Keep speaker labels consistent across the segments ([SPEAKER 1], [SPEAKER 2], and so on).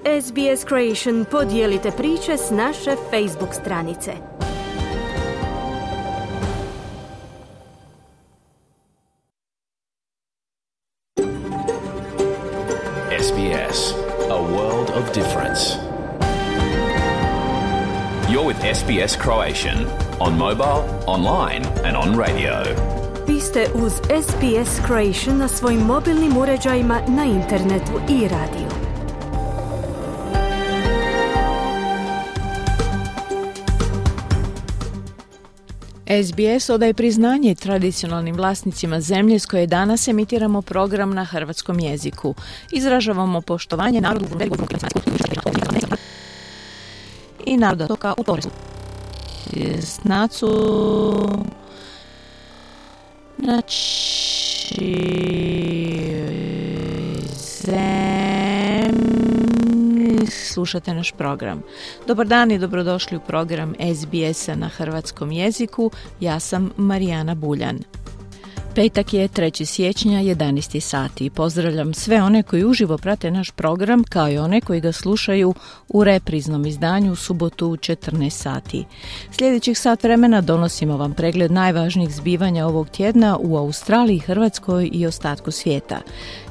[SPEAKER 1] SBS Creation podijelite priče s naše Facebook stranice.
[SPEAKER 2] SBS, a world of difference. You're with SBS Croatian on mobile, online and on radio.
[SPEAKER 1] Vi ste uz SBS Croatian na svojim mobilnim uređajima, na internetu i radiju.
[SPEAKER 3] SBS odaje priznanje tradicionalnim vlasnicima zemlje s koje danas emitiramo program na hrvatskom jeziku. Izražavamo poštovanje narodu i naroda toka u Toresu. Snacu slušate naš program. Dobar dan i dobrodošli u program SBS-a na hrvatskom jeziku. Ja sam Marijana Buljan. Petak je 3. siječnja, 11 sati. Pozdravljam sve one koji uživo prate naš program, kao i one koji ga slušaju u repriznom izdanju u subotu u 14 sati. Sljedećih sat vremena donosimo vam pregled najvažnijih zbivanja ovog tjedna u Australiji, Hrvatskoj i ostatku svijeta.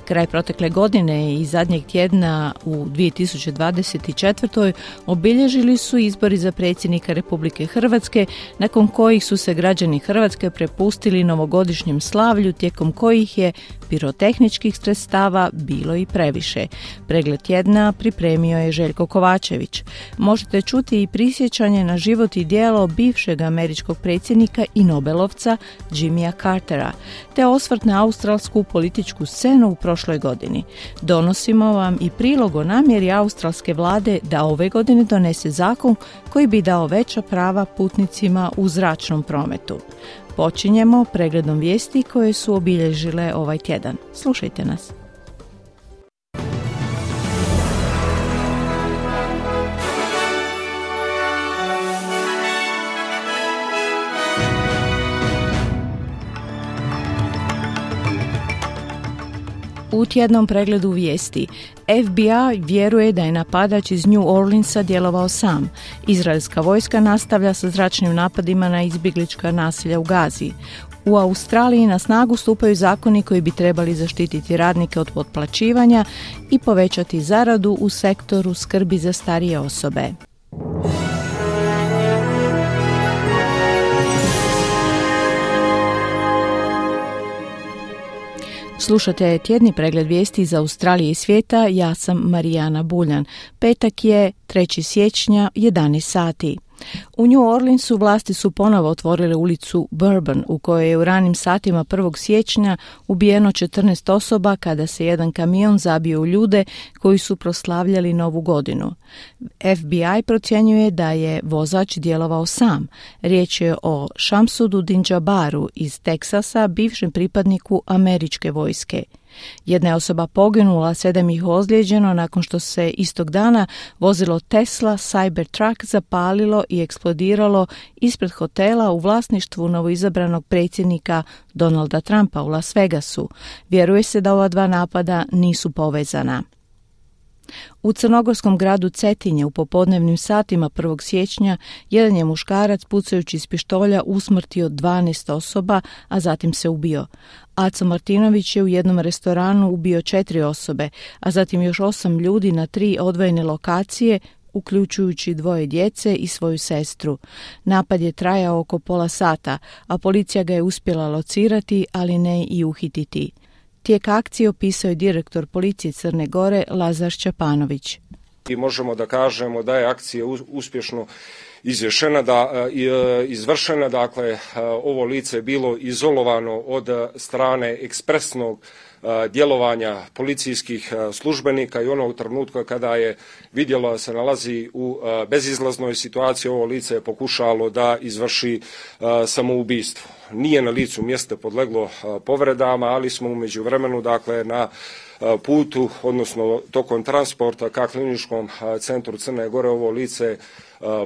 [SPEAKER 3] Kraj protekle godine i zadnjeg tjedna u 2024. obilježili su izbori za predsjednika Republike Hrvatske, nakon kojih su se građani Hrvatske prepustili novogodišnjem slavlju, tijekom kojih je pirotehničkih sredstava bilo i previše. Pregled tjedna pripremio je Željko Kovačević. Možete čuti i prisjećanje na život i djelo bivšeg američkog predsjednika i Nobelovca Jimmya Cartera, te osvrt na australsku političku scenu u prošloj godini. Donosimo vam i prilog o namjeri australske vlade da ove godine donese zakon koji bi dao veća prava putnicima u zračnom prometu. Počinjemo pregledom vijesti koje su obilježile ovaj tjedan. Slušajte nas. U tjednom pregledu vijesti, FBI vjeruje da je napadač iz New Orleansa djelovao sam. Izraelska vojska nastavlja sa zračnim napadima na izbjeglička naselja u Gazi. U Australiji na snagu stupaju zakoni koji bi trebali zaštititi radnike od potplaćivanja i povećati zaradu u sektoru skrbi za starije osobe. Slušate tjedni pregled vijesti iz Australije i svijeta, ja sam Marijana Buljan. Petak je 3. siječnja, 11 sati. U New Orleansu vlasti su ponovo otvorile ulicu Bourbon, u kojoj je u ranim satima 1. siječnja ubijeno 14 osoba kada se jedan kamion zabio u ljude koji su proslavljali Novu godinu. FBI procjenjuje da je vozač djelovao sam. Riječ je o Shamsudu Dinjabaru iz Teksasa, bivšem pripadniku američke vojske. Jedna je osoba poginula, 7 ih ozlijeđeno nakon što se istog dana vozilo Tesla Cybertruck zapalilo i eksplodiralo ispred hotela u vlasništvu novoizabranog predsjednika Donalda Trumpa u Las Vegasu. Vjeruje se da ova dva napada nisu povezana. U crnogorskom gradu Cetinje u popodnevnim satima 1. siječnja jedan je muškarac pucajući iz pištolja usmrtio 12 osoba, a zatim se ubio. Aco Martinović je u jednom restoranu ubio 4 osobe, a zatim još 8 ljudi na 3 odvojene lokacije, uključujući 2 djece i svoju sestru. Napad je trajao oko pola sata, a policija ga je uspjela locirati, ali ne i uhititi. Tijek akcije opisao je direktor policije Crne Gore Lazar Šćapanović.
[SPEAKER 4] I možemo da kažemo da je akcija uspješno izvršena, dakle ovo lice je bilo izolovano od strane ekspresnog djelovanja policijskih službenika i onog trenutka kada je vidjelo da se nalazi u bezizlaznoj situaciji, ovo lice je pokušalo da izvrši samoubistvo. Nije na licu mjesta podleglo povredama, ali smo u međuvremenu, dakle, na putu, odnosno tokom transporta ka kliničkom centru Crne Gore, ovo lice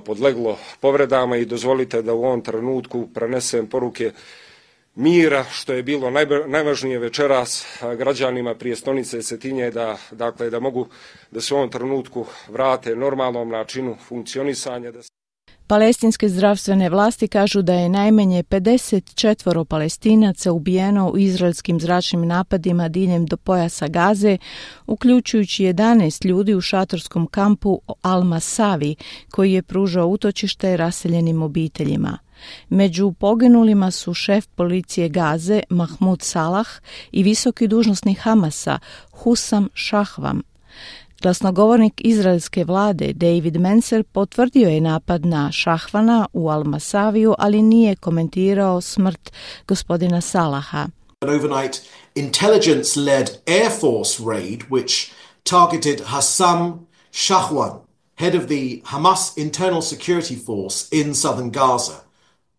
[SPEAKER 4] podleglo povredama i dozvolite da u ovom trenutku prenesem poruke mira, što je bilo najvažnije večeras građanima prijestolnice Cetinje da mogu da se u ovom trenutku vrate normalnom načinu funkcionisanja.
[SPEAKER 3] Palestinske zdravstvene vlasti kažu da je najmanje 54 Palestinaca ubijeno u izraelskim zračnim napadima diljem do pojasa Gaze, uključujući 11 ljudi u šatorskom kampu Al-Masavi, koji je pružao utočište raseljenim obiteljima. Među poginulima su šef policije Gaze Mahmud Salah i visoki dužnosnik Hamasa Hussam Shahvam. Glasnogovornik izraelske vlade David Mencer potvrdio je napad na Shahvana u Al-Masaviju, ali nije komentirao smrt gospodina Salaha.
[SPEAKER 5] An overnight intelligence-led Air Force raid which targeted Hussam Shahwan, head of the Hamas Internal Security Force in southern Gaza.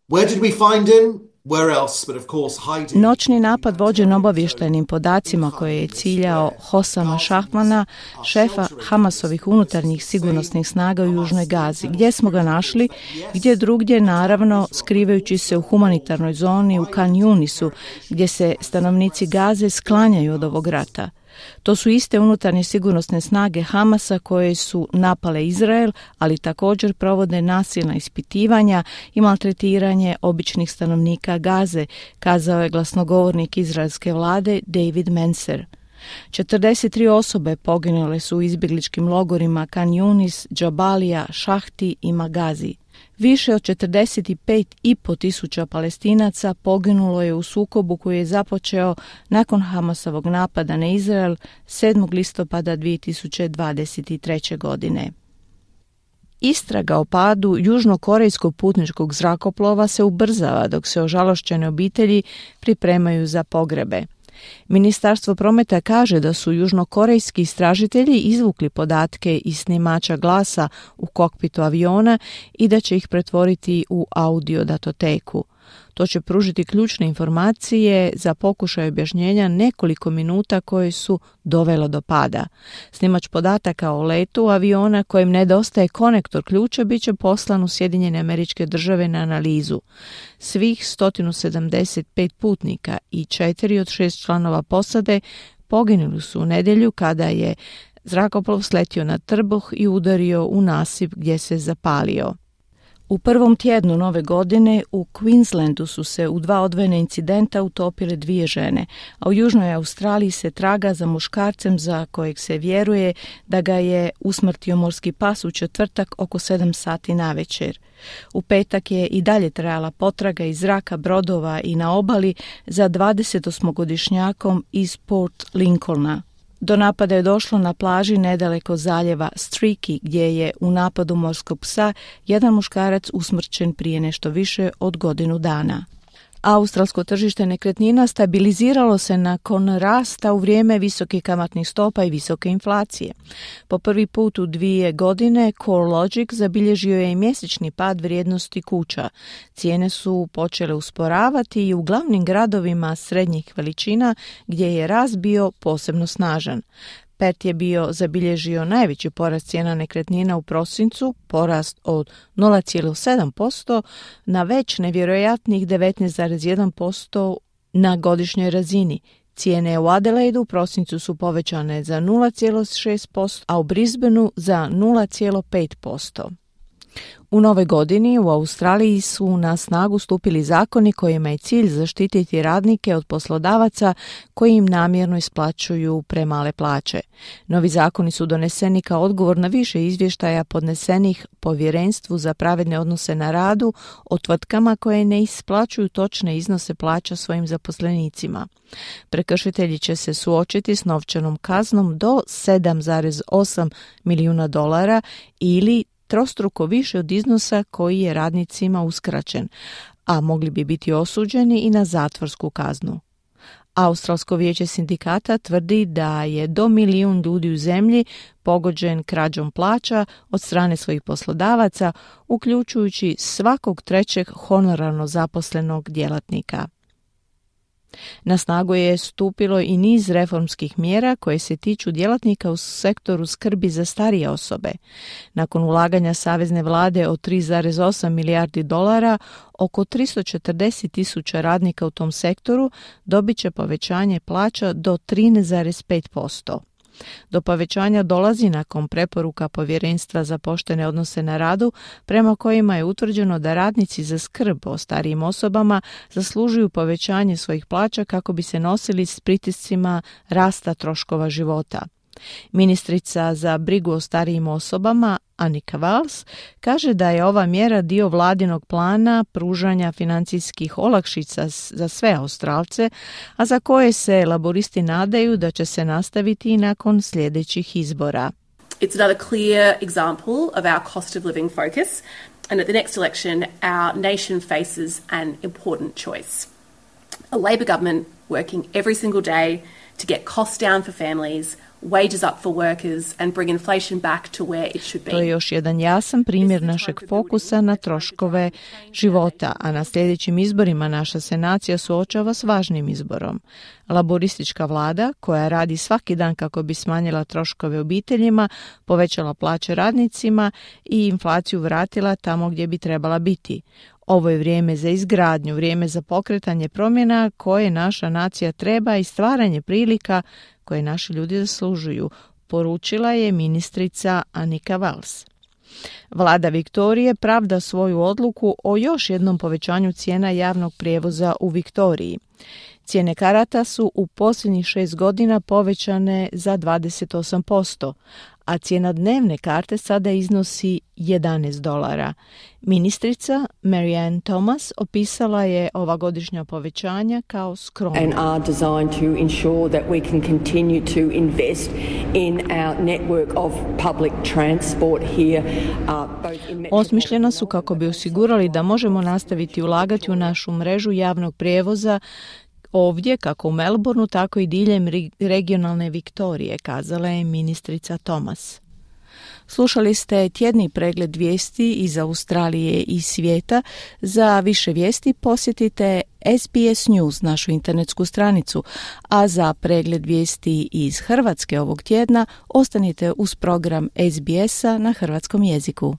[SPEAKER 5] Where did we find him? Where else, but of course hiding.
[SPEAKER 3] Noćni napad vođen obavještajnim podacima koje je ciljao Hossama Shahvana, šefa Hamasovih unutarnjih sigurnosnih snaga u Južnoj Gazi. Gdje smo ga našli? Gdje drugdje, naravno, skrivajući se u humanitarnoj zoni u Khan Yunisu, gdje se stanovnici Gaze sklanjaju od ovog rata. To su iste unutarnje sigurnosne snage Hamasa koje su napale Izrael, ali također provode nasilna ispitivanja i maltretiranje običnih stanovnika Gaze, kazao je glasnogovornik izraelske vlade David Mencer. 43 osobe poginule su u izbjegličkim logorima Khan Yunis, Džabalija, Šahti i Magazi. Više od 45.500 tisuća Palestinaca poginulo je u sukobu koji je započeo nakon Hamasovog napada na Izrael 7. listopada 2023. godine. Istraga o padu južnokorejskog putničkog zrakoplova se ubrzava dok se ožalošćene obitelji pripremaju za pogrebe. Ministarstvo prometa kaže da su južnokorejski istražitelji izvukli podatke iz snimača glasa u kokpitu aviona i da će ih pretvoriti u audio datoteku. To će pružiti ključne informacije za pokušaj objašnjenja nekoliko minuta koje su dovelo do pada. Snimač podataka o letu aviona kojem nedostaje konektor ključa bit će poslan u Sjedinjene Američke Države na analizu. Svih 175 putnika i 4 od 6 članova posade poginuli su u nedjelju kada je zrakoplov sletio na trbuh i udario u nasip gdje se zapalio. U prvom tjednu nove godine u Queenslandu su se u 2 odvojena incidenta utopile 2 žene, a u Južnoj Australiji se traga za muškarcem za kojeg se vjeruje da ga je usmrtio morski pas u četvrtak oko 7 sati navečer. U petak je i dalje trajala potraga iz zraka, brodova i na obali za 28-godišnjakom iz Port Lincolna. Do napada je došlo na plaži nedaleko zaljeva Streaky, gdje je u napadu morskog psa jedan muškarac usmrćen prije nešto više od godinu dana. Australsko tržište nekretnina stabiliziralo se nakon rasta u vrijeme visokih kamatnih stopa i visoke inflacije. Po prvi put u 2 godine CoreLogic zabilježio je i mjesečni pad vrijednosti kuća. Cijene su počele usporavati i u glavnim gradovima srednjih veličina gdje je rast bio posebno snažan. Perth je zabilježio najveći porast cijena nekretnina u prosincu, porast od 0,7% na već nevjerojatnih 19,1% na godišnjoj razini. Cijene u Adelaidu u prosincu su povećane za 0,6%, a u Brisbaneu za 0,5%. U nove godini u Australiji su na snagu stupili zakoni kojima je cilj zaštititi radnike od poslodavaca koji im namjerno isplaćuju premale plaće. Novi zakoni su doneseni kao odgovor na više izvještaja podnesenih Povjerenstvu za pravedne odnose na radu o tvrtkama koje ne isplaćuju točne iznose plaća svojim zaposlenicima. Prekršitelji će se suočiti s novčanom kaznom do $7,8 milijuna ili trostruko više od iznosa koji je radnicima uskraćen, a mogli bi biti osuđeni i na zatvorsku kaznu. Australsko vijeće sindikata tvrdi da je do 1 milijun ljudi u zemlji pogođen krađom plaća od strane svojih poslodavaca, uključujući svakog trećeg honorarno zaposlenog djelatnika. Na snagu je stupilo i niz reformskih mjera koje se tiču djelatnika u sektoru skrbi za starije osobe. Nakon ulaganja savezne vlade od 3,8 milijardi dolara, oko 340.000 radnika u tom sektoru dobit će povećanje plaća do 13,5%. Do povećanja dolazi nakon preporuka Povjerenstva za poštene odnose na radu, prema kojima je utvrđeno da radnici za skrb o starijim osobama zaslužuju povećanje svojih plaća kako bi se nosili s pritiscima rasta troškova života. Ministrica za brigu o starijim osobama, Annika Valls, kaže da je ova mjera dio vladinog plana pružanja financijskih olakšica za sve Australce, a za koje se laboristi nadaju da će se nastaviti i nakon sljedećih izbora.
[SPEAKER 6] It's another clear example of our cost of living focus, and at the next election our nation faces an important choice. A Labor government working every single day to get costs down for families, wages up for workers and bring inflation back to where it should be.
[SPEAKER 3] To je još jedan jasan primjer našeg fokusa na troškove života, a na sljedećim izborima naša se nacija suočava s važnim izborom. Laboristička vlada, koja radi svaki dan kako bi smanjila troškove obiteljima, povećala plaće radnicima i inflaciju vratila tamo gdje bi trebala biti. Ovo je vrijeme za izgradnju, vrijeme za pokretanje promjena koje naša nacija treba i stvaranje prilika koje naši ljudi zaslužuju, poručila je ministrica Annika Valls. Vlada Viktorije pravda svoju odluku o još jednom povećanju cijena javnog prijevoza u Viktoriji. Cijene karata su u posljednjih 6 godina povećane za 28%, a cijena dnevne karte sada iznosi $11. Ministrica Marianne Thomas opisala je ova godišnja povećanja kao skromna.
[SPEAKER 7] And are designed to ensure that we can continue to invest in our network of public transport here.
[SPEAKER 3] Osmišljena su kako bi osigurali da možemo nastaviti ulagati u našu mrežu javnog prijevoza ovdje, kako u Melbourneu, tako i diljem regionalne Viktorije, kazala je ministrica Thomas. Slušali ste tjedni pregled vijesti iz Australije i svijeta. Za više vijesti posjetite SBS News, našu internetsku stranicu, a za pregled vijesti iz Hrvatske ovog tjedna ostanite uz program SBS-a na hrvatskom jeziku.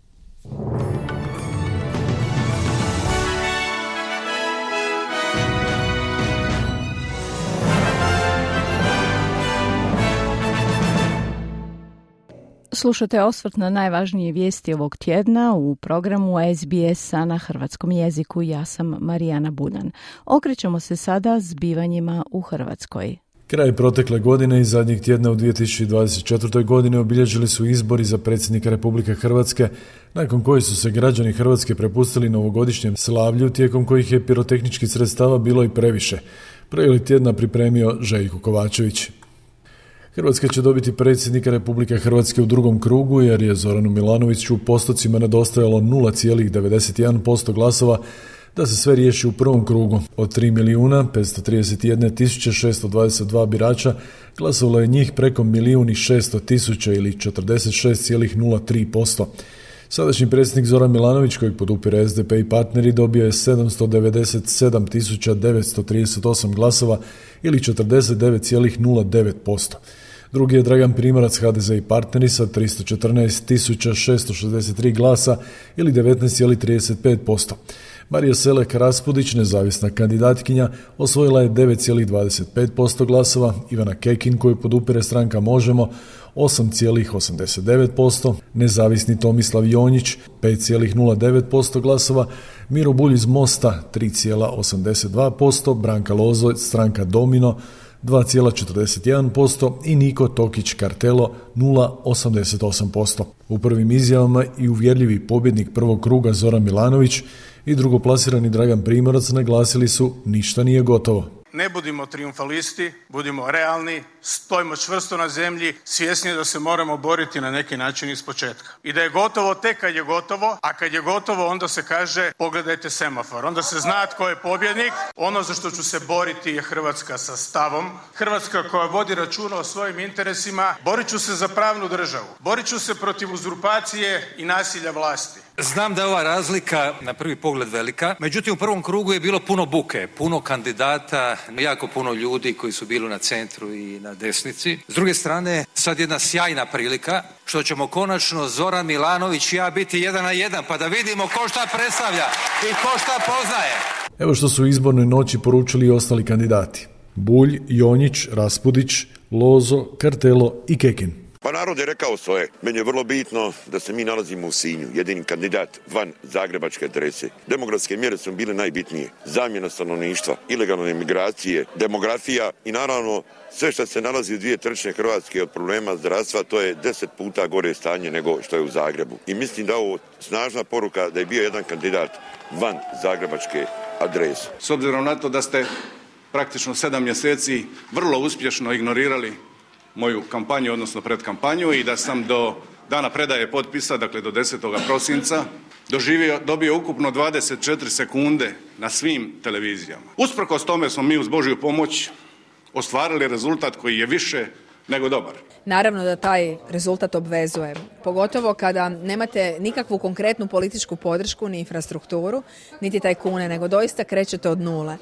[SPEAKER 3] Slušate osvrt na najvažnije vijesti ovog tjedna u programu SBS-a na hrvatskom jeziku. Ja sam Marijana Buljan. Okrećemo se sada zbivanjima u Hrvatskoj.
[SPEAKER 8] Kraj protekle godine i zadnjeg tjedna u 2024. godine obilježili su izbori za predsjednika Republike Hrvatske, nakon kojih su se građani Hrvatske prepustili novogodišnjem slavlju, tijekom kojih je pirotehničkih sredstava bilo i previše. Pregled tjedna pripremio Željko Kovačević. Hrvatska će dobiti predsjednika Republike Hrvatske u drugom krugu jer je Zoranu Milanoviću u postocima nedostajalo 0,91% glasova da se sve riješi u prvom krugu. Od 3.531.622 birača glasovalo je njih preko 1.600.000 ili 46,03%. Sadašnji predsjednik Zoran Milanović, kojeg podupire SDP i partneri, dobio je 797.938 glasova ili 49,09%. Drugi je Dragan Primorac, HDZ i partneri, sa 314.663 glasa ili 19,35%. Marija Selek Raspudić, nezavisna kandidatkinja, osvojila je 9,25% glasova, Ivana Kekin, koju podupire stranka Možemo, 8,89%, nezavisni Tomislav Jonjić, 5,09% glasova, Miro Bulj iz Mosta, 3,82%, Branka Lozo, stranka Domino, 2,41% i Niko Tokić Kartelo 0,88%. U prvim izjavama i uvjerljivi pobjednik prvog kruga Zoran Milanović i drugoplasirani Dragan Primorac naglasili su ništa nije gotovo.
[SPEAKER 9] Ne budimo triumfalisti, budimo realni, stojimo čvrsto na zemlji, svjesni da se moramo boriti na neki način ispočetka. I da je gotovo tek kad je gotovo, a kad je gotovo onda se kaže pogledajte semafor. Onda se zna tko je pobjednik. Ono za što ću se boriti je Hrvatska sa stavom. Hrvatska koja vodi računa o svojim interesima. Borit ću se za pravnu državu. Borit ću se protiv uzurpacije i nasilja vlasti.
[SPEAKER 10] Znam da je ova razlika na prvi pogled velika, međutim u prvom krugu je bilo puno buke, puno kandidata, jako puno ljudi koji su bili na centru i na desnici. S druge strane, sad jedna sjajna prilika što ćemo konačno Zoran Milanović i ja biti 1 na 1, pa da vidimo ko šta predstavlja i ko šta poznaje.
[SPEAKER 8] Evo što su u izbornoj noći poručili i ostali kandidati. Bulj, Jonjić, Raspudić, Lozo, Kartelo i Kekin.
[SPEAKER 11] Pa narod je rekao svoje. Meni je vrlo bitno da se mi nalazimo u Sinju, jedini kandidat van zagrebačke adrese. Demografske mjere su bile najbitnije. Zamjena stanovništva, ilegalne migracije, demografija i naravno sve što se nalazi u 2/3 Hrvatske od problema zdravstva, to je 10 puta gore stanje nego što je u Zagrebu. I mislim da je ovo snažna poruka da je bio jedan kandidat van zagrebačke adrese.
[SPEAKER 9] S obzirom na to da ste praktično 7 mjeseci vrlo uspješno ignorirali moju kampanju, odnosno predkampanju, i da sam do dana predaje potpisa, dakle do 10. prosinca, dobio ukupno 24 sekunde na svim televizijama. Usprkos tome smo mi uz Božju pomoć ostvarili rezultat koji je više nego dobar.
[SPEAKER 12] Naravno da taj rezultat obvezuje, pogotovo kada nemate nikakvu konkretnu političku podršku ni infrastrukturu, niti tajkune, nego doista krećete od nule.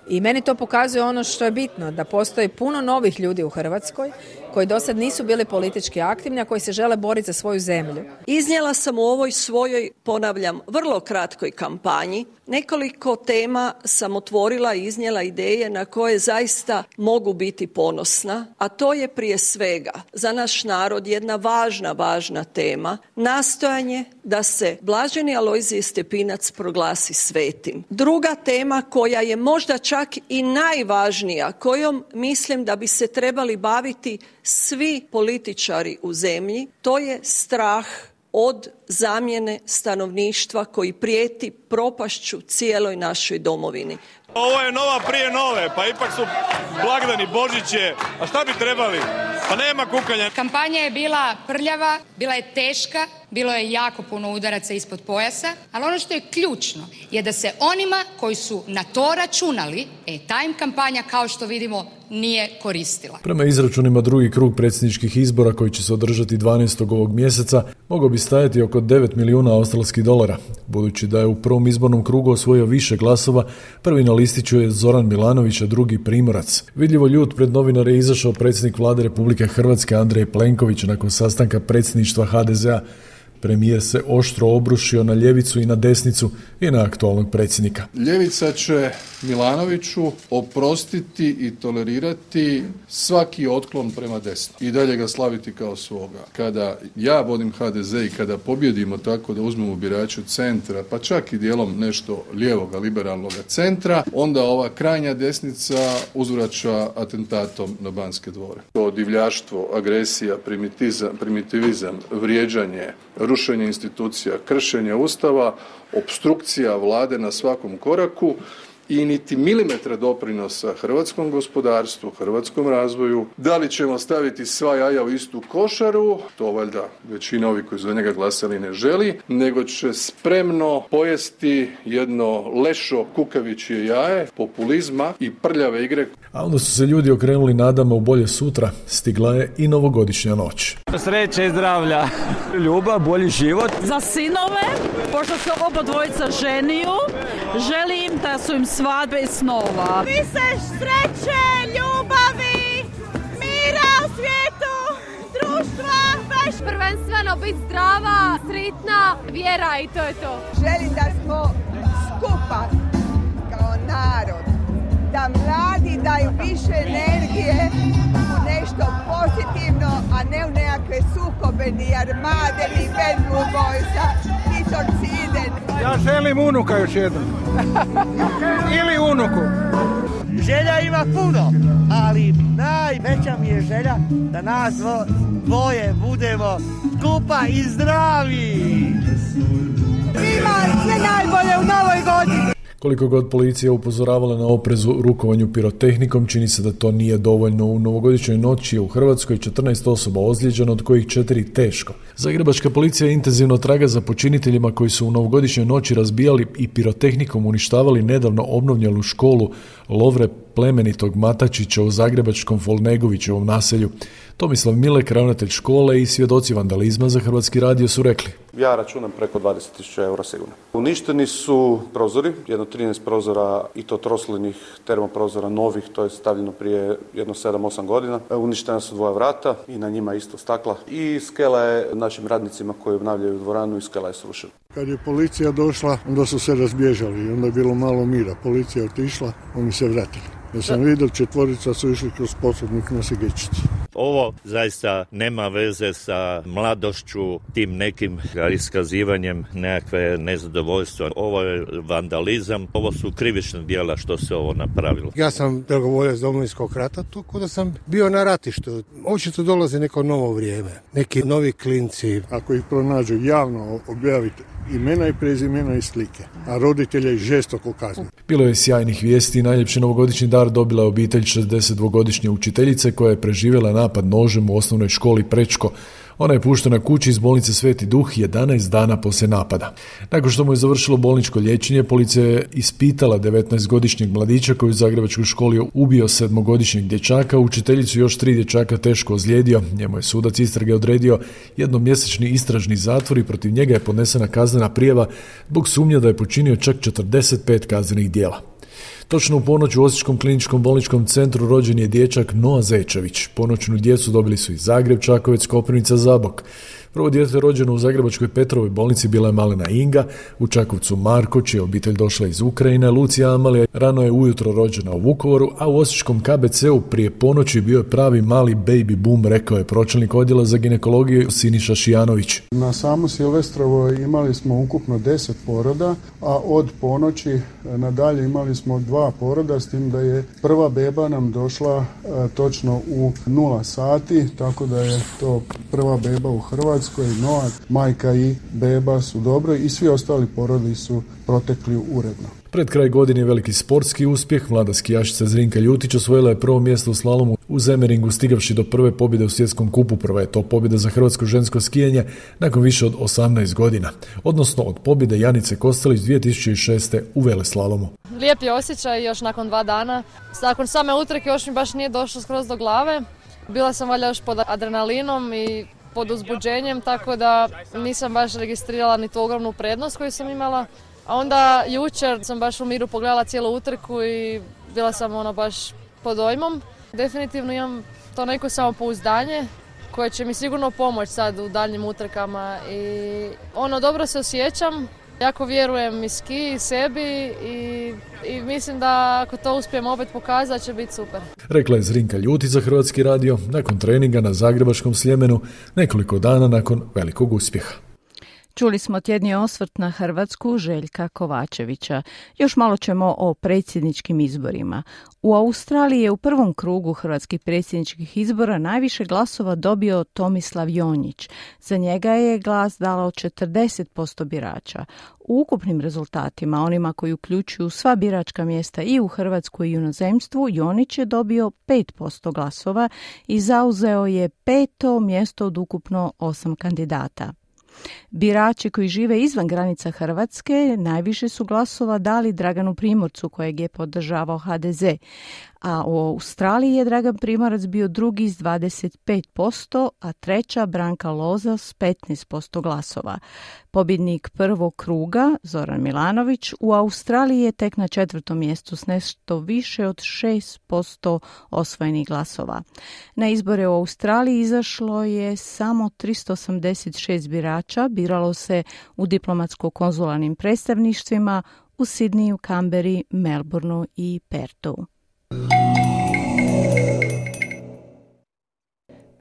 [SPEAKER 12] I meni to pokazuje ono što je bitno, da postoji puno novih ljudi u Hrvatskoj koji do sad nisu bili politički aktivni, a koji se žele boriti za svoju zemlju.
[SPEAKER 13] Iznijela sam u ovoj svojoj, ponavljam, vrlo kratkoj kampanji. Nekoliko tema sam otvorila i iznijela ideje na koje zaista mogu biti ponosna, a to je prije svega za naš narod jedna važna tema, nastojanje da se Blaženi Alojzije Stepinac proglasi svetim. Druga tema koja je možda čak i najvažnija, kojom mislim da bi se trebali baviti svi političari u zemlji, to je strah od zamjene stanovništva koji prijeti propašću cijeloj našoj domovini.
[SPEAKER 14] Ovo je nova prije nove, pa ipak su blagdani, Božić je, a šta bi trebali? Pa nema kukanja.
[SPEAKER 15] Kampanja je bila prljava, bila je teška, bilo je jako puno udaraca ispod pojasa, ali ono što je ključno je da se onima koji su na to računali, ta im kampanja, kao što vidimo, nije koristila.
[SPEAKER 8] Prema izračunima drugi krug predsjedničkih izbora koji će se održati 12. ovog mjeseca mogao bi stajati oko 9 milijuna australskih dolara. Budući da je u prvom izbornom krugu osvojio više glasova, prvi na listiću je Zoran Milanović, a drugi Primorac. Vidljivo ljut pred novinare je izašao predsjednik vlade Republike Hrvatske Andrej Plenković nakon sastanka predsjedništva HDZ-a. Premijer se oštro obrušio na ljevicu i na desnicu i na aktualnog predsjednika.
[SPEAKER 16] Ljevica će Milanoviću oprostiti i tolerirati svaki otklon prema desnom i dalje ga slaviti kao svoga. Kada ja vodim HDZ i kada pobjedimo tako da uzmemo birače centra, pa čak i dijelom nešto lijevoga, liberalnog centra, onda ova krajnja desnica uzvraća atentatom na Banske dvore. To divljaštvo, agresija, primitivizam, vrijeđanje, rušenje institucija, kršenje Ustava, opstrukcija vlade na svakom koraku i niti milimetra doprinosa hrvatskom gospodarstvu, hrvatskom razvoju. Da li ćemo staviti sva jaja u istu košaru, to valjda većina ovih koji za njega glasali ne želi, nego će spremno pojesti jedno lešo kukavičje jaje, populizma i prljave igre.
[SPEAKER 8] A onda su se ljudi okrenuli nadama u bolje sutra, stigla je i novogodišnja noć.
[SPEAKER 17] Sreće i zdravlja, ljubav, bolji život.
[SPEAKER 18] Za sinove, pošto se oba dvojica ženiju, želim da su im svadbe i snova.
[SPEAKER 19] Više sreće, ljubavi, mira u svijetu, društva, baš prvenstveno biti zdrava, sretna, vjera i to je to.
[SPEAKER 20] Želim da smo skupa kao narod, da mladi daju više energije u nešto pozitivno, a ne u nekakve sukobe, ni armade, ni bad blue boysa, ni torcide.
[SPEAKER 21] Ja želim unuka još jednom. Ili unuku.
[SPEAKER 22] Želja ima puno, ali najveća mi je želja da nas dvoje budemo skupa i zdravi.
[SPEAKER 20] Svima sve najbolje u novoj godini.
[SPEAKER 8] Koliko god policija upozoravala na oprezu rukovanju pirotehnikom, čini se da to nije dovoljno. U novogodišnjoj noći je u Hrvatskoj 14 osoba ozlijeđeno, od kojih 4 teško. Zagrebačka policija intenzivno traga za počiniteljima koji su u novogodišnjoj noći razbijali i pirotehnikom uništavali nedavno obnovljenu školu Lovre plemenitog Matačića u zagrebačkom Folnegovićevom naselju. Tomislav Milek, ravnatelj škole i svjedoci vandalizma za Hrvatski radio su rekli:
[SPEAKER 1] Ja računam preko 20.000 eura sigurno. Uništeni su prozori, jedno 13 prozora i to troslinih termoprozora novih, to je stavljeno prije jedno 7-8 godina. Uništena su 2 vrata i na njima isto stakla. I skela je našim radnicima koji obnavljaju dvoranu i skela je srušena.
[SPEAKER 21] Kad je policija došla, onda su se razbježali i onda je bilo malo mira. Policija je otišla, oni se vratili. Ja sam vidio 4 su išli kroz Posudnik na Sigečici.
[SPEAKER 2] Ovo zaista nema veze sa mladošću, tim nekim iskazivanjem nekakve nezadovoljstva. Ovo je vandalizam, ovo su krivična djela što se ovo napravilo.
[SPEAKER 21] Ja sam dragovoljac Domovinskog rata, tako da sam bio na ratištu. Očito dolazi neko novo vrijeme, neki novi klinci. Ako ih pronađu javno, objaviti imena i prezimena i slike, a roditelje žestoko kazniti.
[SPEAKER 8] Bilo je sjajnih vijesti i najljepši novogodišnji dar dobila je obitelj 62-godišnje učiteljice koja je preživjela napad nožem u osnovnoj školi Prečko. Ona je puštena kući iz bolnice Sveti Duh 11 dana poslije napada. Nakon što mu je završilo bolničko liječenje, policija je ispitala 19-godišnjeg mladića koji u zagrebačkoj školi ubio 7-godišnjeg dječaka, učiteljicu još 3 dječaka teško ozlijedio. Njemu je sudac istrage odredio jednomjesečni istražni zatvor i protiv njega je podnesena kaznena prijava zbog sumnje da je počinio čak 45 kaznenih djela. Točno u ponoć u Osječkom kliničkom bolničkom centru rođen je dječak Noa Zečević. Ponoćnu djecu dobili su i Zagreb, Čakovec, Koprivnica, Zabok. Prvo dijete rođeno u zagrebačkoj Petrovoj bolnici bila je malena Inga, u Čakovcu Marko, čija obitelj došla iz Ukrajine, Lucija Amalija rano je ujutro rođena u Vukovaru, a u Osječkom KBC-u prije ponoći bio je pravi mali baby boom, rekao je pročelnik odjela za ginekologiju Siniša Šijanović.
[SPEAKER 21] Na samu Silvestrovo imali smo ukupno 10 poroda, a od ponoći nadalje imali smo 2 poroda, s tim da je prva beba nam došla točno u 0 sati, tako da je to prva beba u Hrvatskoj. Noa, majka i beba su dobro i svi ostali porodi su protekli uredno.
[SPEAKER 8] Pred kraj godine je veliki sportski uspjeh. Mlada skijašica Zrinka Ljutić osvojila je prvo mjesto u slalomu u Zemeringu, stigavši do prve pobjede u svjetskom kupu. Prva je to pobjeda za hrvatsko žensko skijanje nakon više od 18 godina, odnosno od pobjede Janice Kostelić 2006. u veleslalomu.
[SPEAKER 23] Lijep je osjećaj još nakon 2 dana. Nakon same utrke još mi baš nije došlo skroz do glave. Bila sam valjda još pod adrenalinom i pod uzbuđenjem, tako da nisam baš registrirala ni tu ogromnu prednost koju sam imala. A onda jučer sam baš u miru pogledala cijelu utrku i bila sam baš pod dojmom. Definitivno imam to neko samopouzdanje koje će mi sigurno pomoći sad u daljnjim utrkama i dobro se osjećam. Jako vjerujem i ski i sebi i mislim da ako to uspijem opet pokazati će biti super. Rekla je Zrinka Ljutić za Hrvatski radio nakon treninga na zagrebačkom Sljemenu nekoliko dana nakon velikog uspjeha.
[SPEAKER 3] Čuli smo tjedni osvrt na Hrvatsku Željka Kovačevića. Još malo ćemo o predsjedničkim izborima. U Australiji je u prvom krugu hrvatskih predsjedničkih izbora najviše glasova dobio Tomislav Jonjić. Za njega je glas dalo 40% birača. U ukupnim rezultatima, onima koji uključuju sva biračka mjesta i u Hrvatskoj i u inozemstvu, Jonić je dobio 5% glasova i zauzeo je 5. mjesto od ukupno 8 kandidata. Birači koji žive izvan granica Hrvatske najviše su glasova dali Draganu Primorcu kojeg je podržavao HDZ, a u Australiji je Dragan Primorac bio drugi s 25%, a treća Branka Loza s 15% glasova. Pobjednik prvog kruga, Zoran Milanović, u Australiji je tek na 4. mjestu s nešto više od 6% osvojenih glasova. Na izbore u Australiji izašlo je samo 386 birača, biralo se u diplomatsko-konzularnim predstavništvima u Sidniju, Kamberi, Melbourneu i Pertu.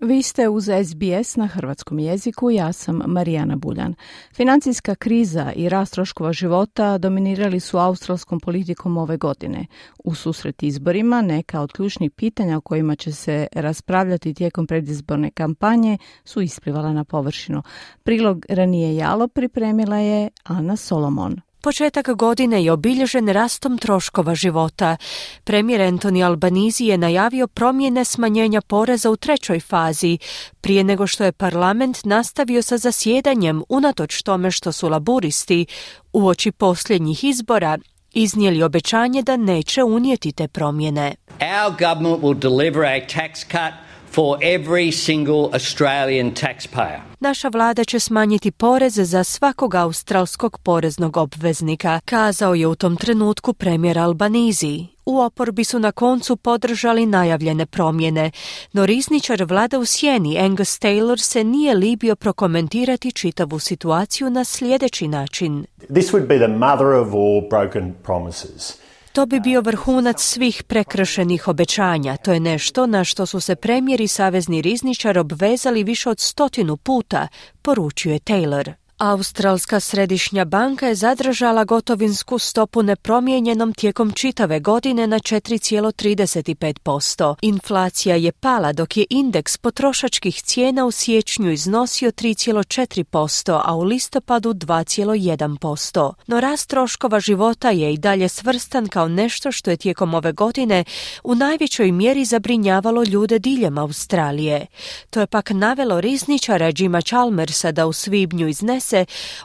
[SPEAKER 3] Vi ste uz SBS na hrvatskom jeziku, ja sam Marijana Buljan. Financijska kriza i rast troškova života dominirali su australskom politikom ove godine. U susret izborima neka od ključnih pitanja o kojima će se raspravljati tijekom predizborne kampanje su isplivala na površinu. Prilog Ranije Jalo pripremila je Ana Solomon.
[SPEAKER 24] Početak godine je obilježen rastom troškova života. Premijer Anthony Albanese je najavio promjene smanjenja poreza u 3. fazi, prije nego što je parlament nastavio sa zasjedanjem unatoč tome što su laburisti uoči posljednjih izbora iznijeli obećanje da neće unijeti te promjene.
[SPEAKER 4] Our government will deliver a tax cut for every single Australian taxpayer.
[SPEAKER 24] Naša vlada će smanjiti poreze za svakog australskog poreznog obveznika, kazao je u tom trenutku premijer Albanese. U oporbi su na koncu podržali najavljene promjene, no rizničar vlade u sjeni Angus Taylor se nije libio prokomentirati čitavu situaciju na sljedeći način.
[SPEAKER 5] This would be the mother of all broken promises.
[SPEAKER 24] To bi bio vrhunac svih prekršenih obećanja. To je nešto na što su se premijer i savezni rizničar obvezali više od 100 puta, poručuje Taylor. Australska središnja banka je zadržala gotovinsku stopu nepromijenjenom tijekom čitave godine na 4,35%. Inflacija je pala dok je indeks potrošačkih cijena u siječnju iznosio 3,4%, a u listopadu 2,1%. No rast troškova života je i dalje svrstan kao nešto što je tijekom ove godine u najvećoj mjeri zabrinjavalo ljude diljem Australije. To je pak navelo rizničara Jima Chalmersa da u svibnju iznese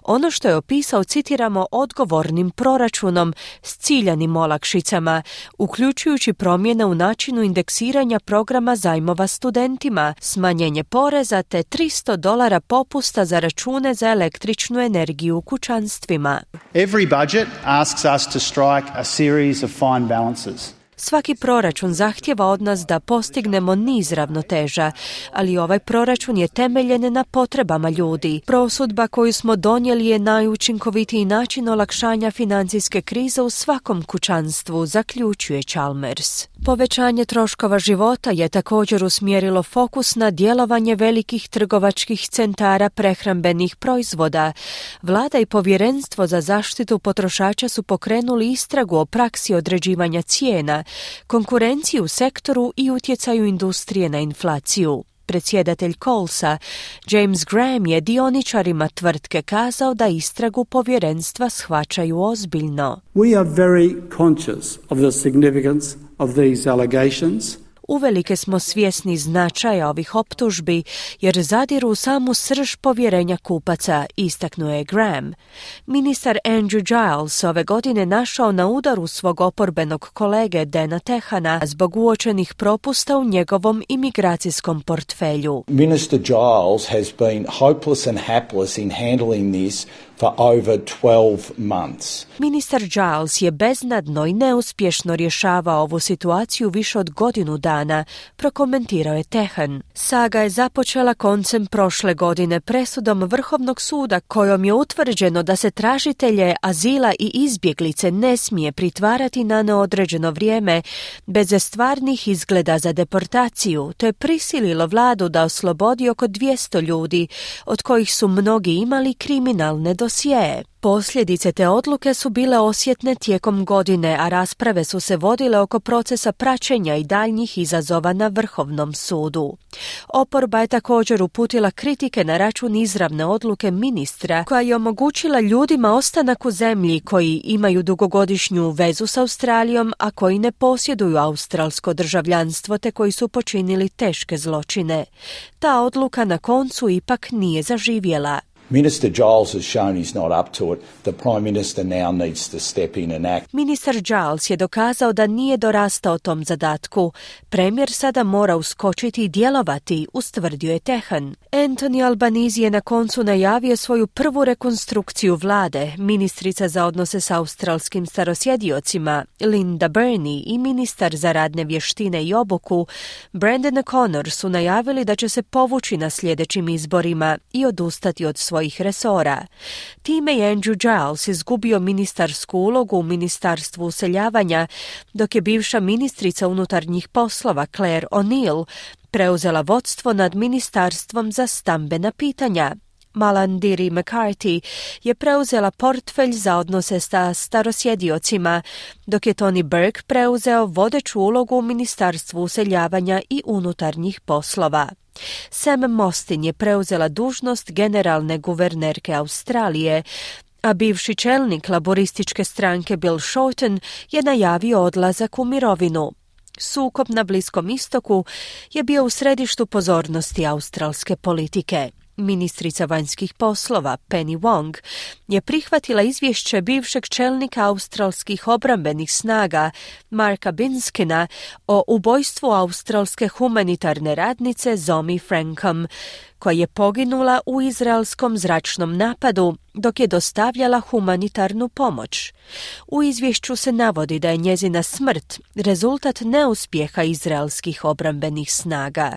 [SPEAKER 24] ono što je opisao, citiramo, odgovornim proračunom s ciljanim olakšicama, uključujući promjene u načinu indeksiranja programa zajmova studentima, smanjenje poreza te $300 popusta za račune za električnu energiju u kućanstvima.
[SPEAKER 6] Every budget asks us to strike a series of fine balances.
[SPEAKER 24] Svaki proračun zahtjeva od nas da postignemo niz ravnoteža, ali ovaj proračun je temeljen na potrebama ljudi. Prosudba koju smo donijeli je najučinkovitiji način olakšanja financijske krize u svakom kućanstvu, zaključuje Chalmers. Povećanje troškova života je također usmjerilo fokus na djelovanje velikih trgovačkih centara prehrambenih proizvoda. Vlada i Povjerenstvo za zaštitu potrošača su pokrenuli istragu o praksi određivanja cijena, konkurenciju u sektoru i utjecaju industrije na inflaciju. Predsjedatelj Colesa, James Graham, je dioničarima tvrtke kazao da istragu povjerenstva shvaćaju ozbiljno.
[SPEAKER 7] We are very conscious of the significance of these allegations.
[SPEAKER 24] Uvelike smo svjesni značaja ovih optužbi jer zadiru u samu srž povjerenja kupaca, istaknuo je Graham. Ministar Andrew Giles ove godine našao na udaru svog oporbenog kolege Dana Tehana zbog uočenih propusta u njegovom imigracijskom portfelju.
[SPEAKER 25] Minister Giles has been hopeless and hapless in handling this for over 12 months.
[SPEAKER 24] Ministar Giles je beznadno i neuspješno rješavao ovu situaciju više od godinu dana, prokomentirao je Tehan. Saga je započela koncem prošle godine presudom Vrhovnog suda kojom je utvrđeno da se tražitelje azila i izbjeglice ne smije pritvarati na neodređeno vrijeme bez stvarnih izgleda za deportaciju. To je prisililo vladu da oslobodi oko 200 ljudi, od kojih su mnogi imali kriminalne dosjeje. Posljedice te odluke su bile osjetne tijekom godine, a rasprave su se vodile oko procesa praćenja i daljnjih izazova na Vrhovnom sudu. Oporba je također uputila kritike na račun izravne odluke ministra koja je omogućila ljudima ostanak u zemlji koji imaju dugogodišnju vezu s Australijom, a koji ne posjeduju australsko državljanstvo te koji su počinili teške zločine. Ta odluka na koncu ipak nije zaživjela.
[SPEAKER 25] Minister Giles has shown he's not up to it. The Prime Minister now needs to step in and act.
[SPEAKER 24] Ministar Giles je dokazao da nije dorastao tom zadatku. Premijer sada mora uskočiti i djelovati, ustvrdio je Tehan. Anthony Albanese je na koncu najavio svoju prvu rekonstrukciju vlade. Ministrica za odnose s australskim starosjediocima Linda Burney i ministar za radne vještine i obuku Brandon O'Connor su najavili da će se povući na sljedećim izborima i odustati od svojih resora. Time je Andrew Giles izgubio ministarsku ulogu u Ministarstvu useljavanja, dok je bivša ministrica unutarnjih poslova Claire O'Neill preuzela vodstvo nad Ministarstvom za stambena pitanja. Malandiri McCarthy je preuzela portfelj za odnose sa starosjediocima, dok je Tony Burke preuzeo vodeću ulogu u Ministarstvu useljavanja i unutarnjih poslova. Sam Mostyn je preuzela dužnost generalne guvernerke Australije, a bivši čelnik laborističke stranke Bill Shorten je najavio odlazak u mirovinu. Sukob na Bliskom istoku je bio u središtu pozornosti australske politike. Ministrica vanjskih poslova Penny Wong je prihvatila izvješće bivšeg čelnika australskih obrambenih snaga Marka Binskina o ubojstvu australske humanitarne radnice Zomi Frankom, koja je poginula u izraelskom zračnom napadu dok je dostavljala humanitarnu pomoć. U izvješću se navodi da je njezina smrt rezultat neuspjeha izraelskih obrambenih snaga.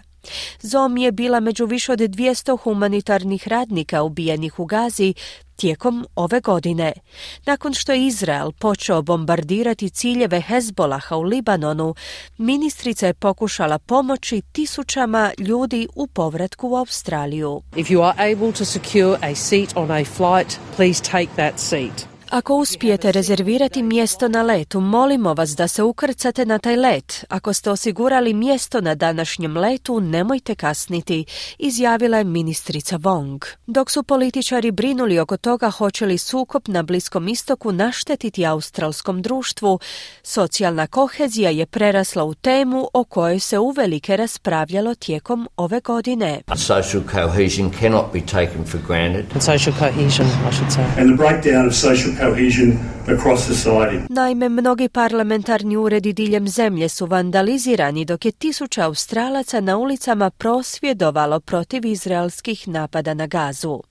[SPEAKER 24] Zomi je bila među više od 200 humanitarnih radnika ubijenih u Gazi tijekom ove godine. Nakon što je Izrael počeo bombardirati ciljeve Hezbolaha u Libanonu, ministrica je pokušala pomoći tisućama ljudi u povratku u Australiju.
[SPEAKER 9] If you are able to secure a seat on a flight, please take that seat.
[SPEAKER 24] Ako uspijete rezervirati mjesto na letu, molimo vas da se ukrcate na taj let. Ako ste osigurali mjesto na današnjem letu, nemojte kasniti, izjavila je ministrica Wong. Dok su političari brinuli oko toga hoće li sukob na Bliskom istoku naštetiti australskom društvu, socijalna kohezija je prerasla u temu o kojoj se uvelike raspravljalo tijekom ove godine.
[SPEAKER 10] Social cohesion cannot be taken for granted.
[SPEAKER 9] Social cohesion, I should say.
[SPEAKER 11] And the breakdown of social cohesion across society.
[SPEAKER 24] Naime, mnogi parlamentarni uredi diljem zemlje su vandalizirani dok je tisuća Australaca na ulicama prosvjedovalo protiv izraelskih napada na Gazu.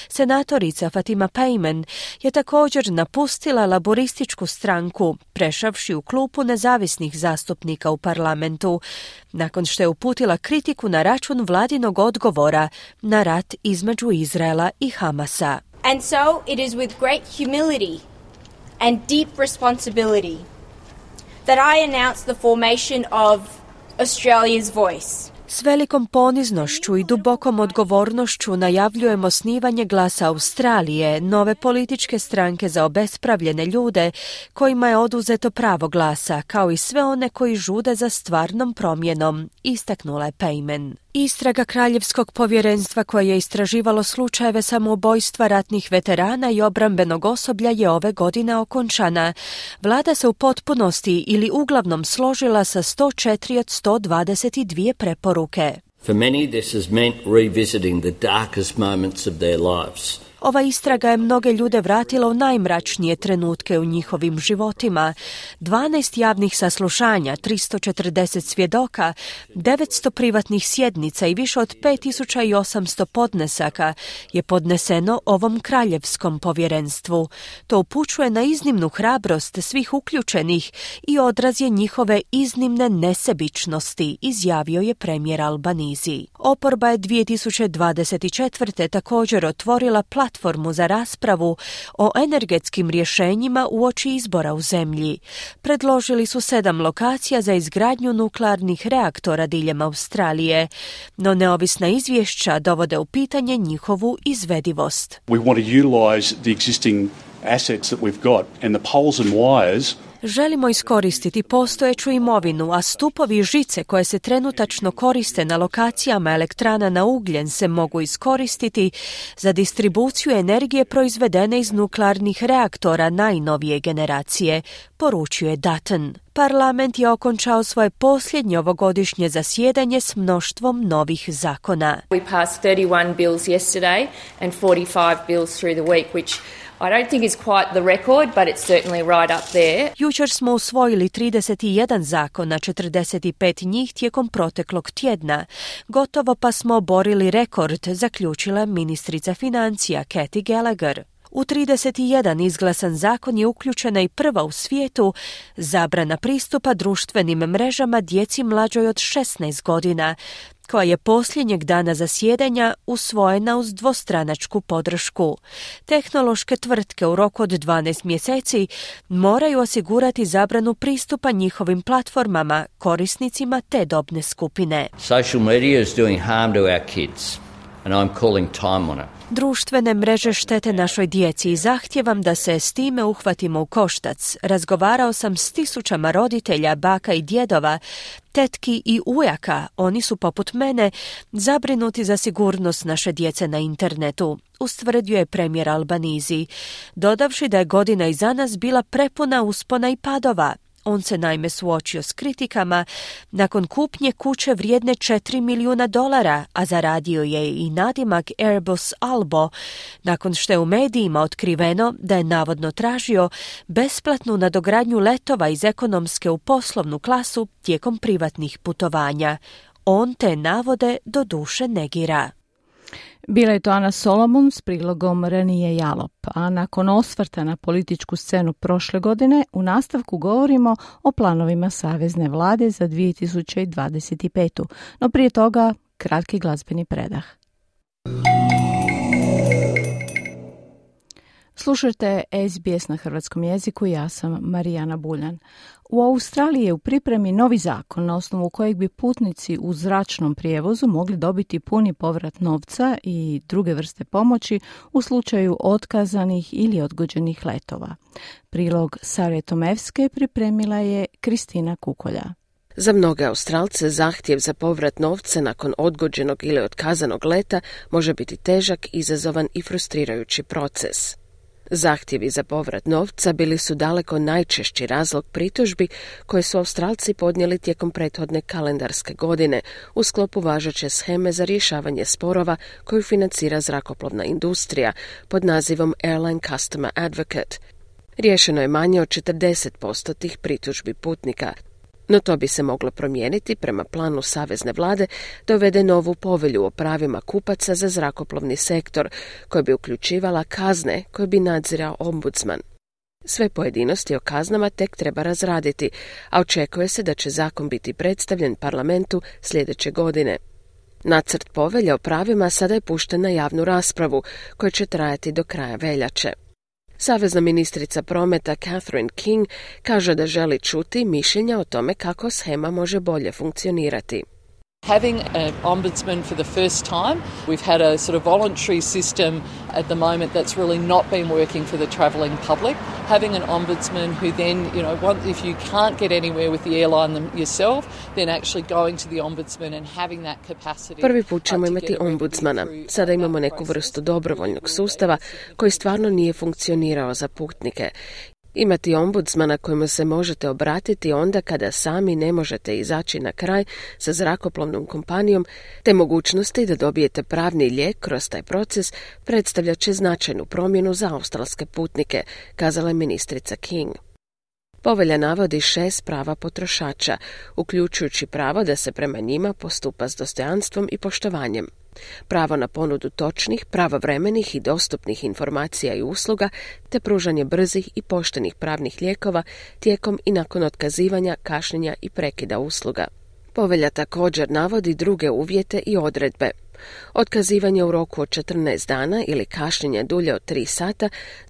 [SPEAKER 24] Senatorica Fatima Payman je također napustila laborističku stranku, prešavši u klupu nezavisnih zastupnika u parlamentu, nakon što je uputila kritiku na račun vladinog odgovora na rat između Izraela i Hamasa.
[SPEAKER 12] And so it is with great humility and deep responsibility that I announce the formation of Australia's Voice.
[SPEAKER 24] S velikom poniznošću i dubokom odgovornošću najavljujemo osnivanje Glasa Australije, nove političke stranke za obespravljene ljude kojima je oduzeto pravo glasa, kao i sve one koji žude za stvarnom promjenom, istaknula je Payman. Istraga Kraljevskog povjerenstva koje je istraživalo slučajeve samoubojstva ratnih veterana i obrambenog osoblja je ove godine okončana. Vlada se u potpunosti ili uglavnom složila sa 104 od 122 preporuke.
[SPEAKER 10] For many this has meant revisiting the darkest moments of their lives.
[SPEAKER 24] Ova istraga je mnoge ljude vratila u najmračnije trenutke u njihovim životima. 12 javnih saslušanja, 340 svjedoka, 900 privatnih sjednica i više od 5800 podnesaka je podneseno ovom kraljevskom povjerenstvu. To upućuje na iznimnu hrabrost svih uključenih i odraz je njihove iznimne nesebičnosti, izjavio je premijer Albanizi. Oporba je 2024. također otvorila platformu za raspravu o energetskim rješenjima uoči izbora u zemlji. Predložili su 7 lokacija za izgradnju nuklearnih reaktora diljem Australije, no neovisna izvješća dovode u pitanje njihovu izvedivost.
[SPEAKER 11] We want to utilize the existing assets that we've got and the poles and wires.
[SPEAKER 24] Želimo iskoristiti postojeću imovinu, a stupovi i žice koje se trenutačno koriste na lokacijama elektrana na ugljen se mogu iskoristiti za distribuciju energije proizvedene iz nuklearnih reaktora najnovije generacije, poručuje Dutton. Parlament je okončao svoje posljednje ovogodišnje zasjedanje s mnoštvom novih zakona.
[SPEAKER 12] We passed 31 bills yesterday and 45 bills through the week, which I don't think is quite the record, but it's certainly right up there.
[SPEAKER 24] Jučer smo usvojili 31 zakona, 45 njih tijekom proteklog tjedna. Gotovo pa smo oborili rekord, zaključila ministrica financija Kathy Gallagher. U 31 izglasan zakon je uključena i prva u svijetu zabrana pristupa društvenim mrežama djeci mlađoj od 16 godina, koja je posljednjeg dana zasjedanja usvojena uz dvostranačku podršku. Tehnološke tvrtke u roku od 12 mjeseci moraju osigurati zabranu pristupa njihovim platformama, korisnicima te dobne skupine.
[SPEAKER 10] Social media is doing harm to our kids, and I'm calling time on it.
[SPEAKER 24] Društvene mreže štete našoj djeci i zahtijevam da se s time uhvatimo u koštac. Razgovarao sam s tisućama roditelja, baka i djedova, tetki i ujaka. Oni su poput mene zabrinuti za sigurnost naše djece na internetu, ustvrdio je premijer Albanizi, dodavši da je godina iza nas bila prepuna uspona i padova. On se naime suočio s kritikama nakon kupnje kuće vrijedne $4 milijuna, a zaradio je i nadimak Airbus Albo, nakon što je u medijima otkriveno da je navodno tražio besplatnu nadogradnju letova iz ekonomske u poslovnu klasu tijekom privatnih putovanja. On te navode do duše negira.
[SPEAKER 3] Bila je to Ana Solomon s prilogom Renije Jalop, a nakon osvrta na političku scenu prošle godine u nastavku govorimo o planovima Savezne vlade za 2025. No prije toga kratki glazbeni predah. Slušajte SBS na hrvatskom jeziku, ja sam Marijana Buljan. U Australiji je u pripremi novi zakon na osnovu kojeg bi putnici u zračnom prijevozu mogli dobiti puni povrat novca i druge vrste pomoći u slučaju otkazanih ili odgođenih letova. Prilog Sare Tomevske pripremila je Kristina Kukolja.
[SPEAKER 13] Za mnoge Australce zahtjev za povrat novca nakon odgođenog ili otkazanog leta može biti težak, izazovan i frustrirajući proces. Zahtjevi za povrat novca bili su daleko najčešći razlog pritužbi koje su Australci podnijeli tijekom prethodne kalendarske godine u sklopu važeće sheme za rješavanje sporova koju financira zrakoplovna industrija pod nazivom Airline Customer Advocate. Riješeno je manje od 40% tih pritužbi putnika. No to bi se moglo promijeniti prema planu Savezne vlade da uvede novu povelju o pravima kupaca za zrakoplovni sektor, koja bi uključivala kazne koje bi nadzirao ombudsman. Sve pojedinosti o kaznama tek treba razraditi, a očekuje se da će zakon biti predstavljen parlamentu sljedeće godine. Nacrt povelje o pravima sada je pušten na javnu raspravu, koja će trajati do kraja veljače. Savezna ministrica prometa Catherine King kaže da želi čuti mišljenja o tome kako shema može bolje funkcionirati.
[SPEAKER 14] Having an ombudsman for the first time, we've had a sort of voluntary system at the moment that's really not been working for the travelling public. Having an ombudsman who then, if you can't get anywhere with the airline yourself, then actually going to the ombudsman and having that capacity.
[SPEAKER 13] Prvi put ćemo imati ombudsmana. Sada imamo neku vrstu dobrovoljnog sustava koji stvarno nije funkcionirao za putnike. Imati ombudsmana kojemu se možete obratiti onda kada sami ne možete izaći na kraj sa zrakoplovnom kompanijom, te mogućnosti da dobijete pravni lijek kroz taj proces predstavljat će značajnu promjenu za australske putnike, kazala je ministrica King. Povelja navodi 6 prava potrošača, uključujući pravo da se prema njima postupa s dostojanstvom i poštovanjem. Pravo na ponudu točnih, pravovremenih i dostupnih informacija i usluga, te pružanje brzih i poštenih pravnih lijekova tijekom i nakon otkazivanja, kašnjenja i prekida usluga. Povelja također navodi druge uvjete i odredbe. Otkazivanje u roku od 14 dana ili kašnjenje dulje od 3 sata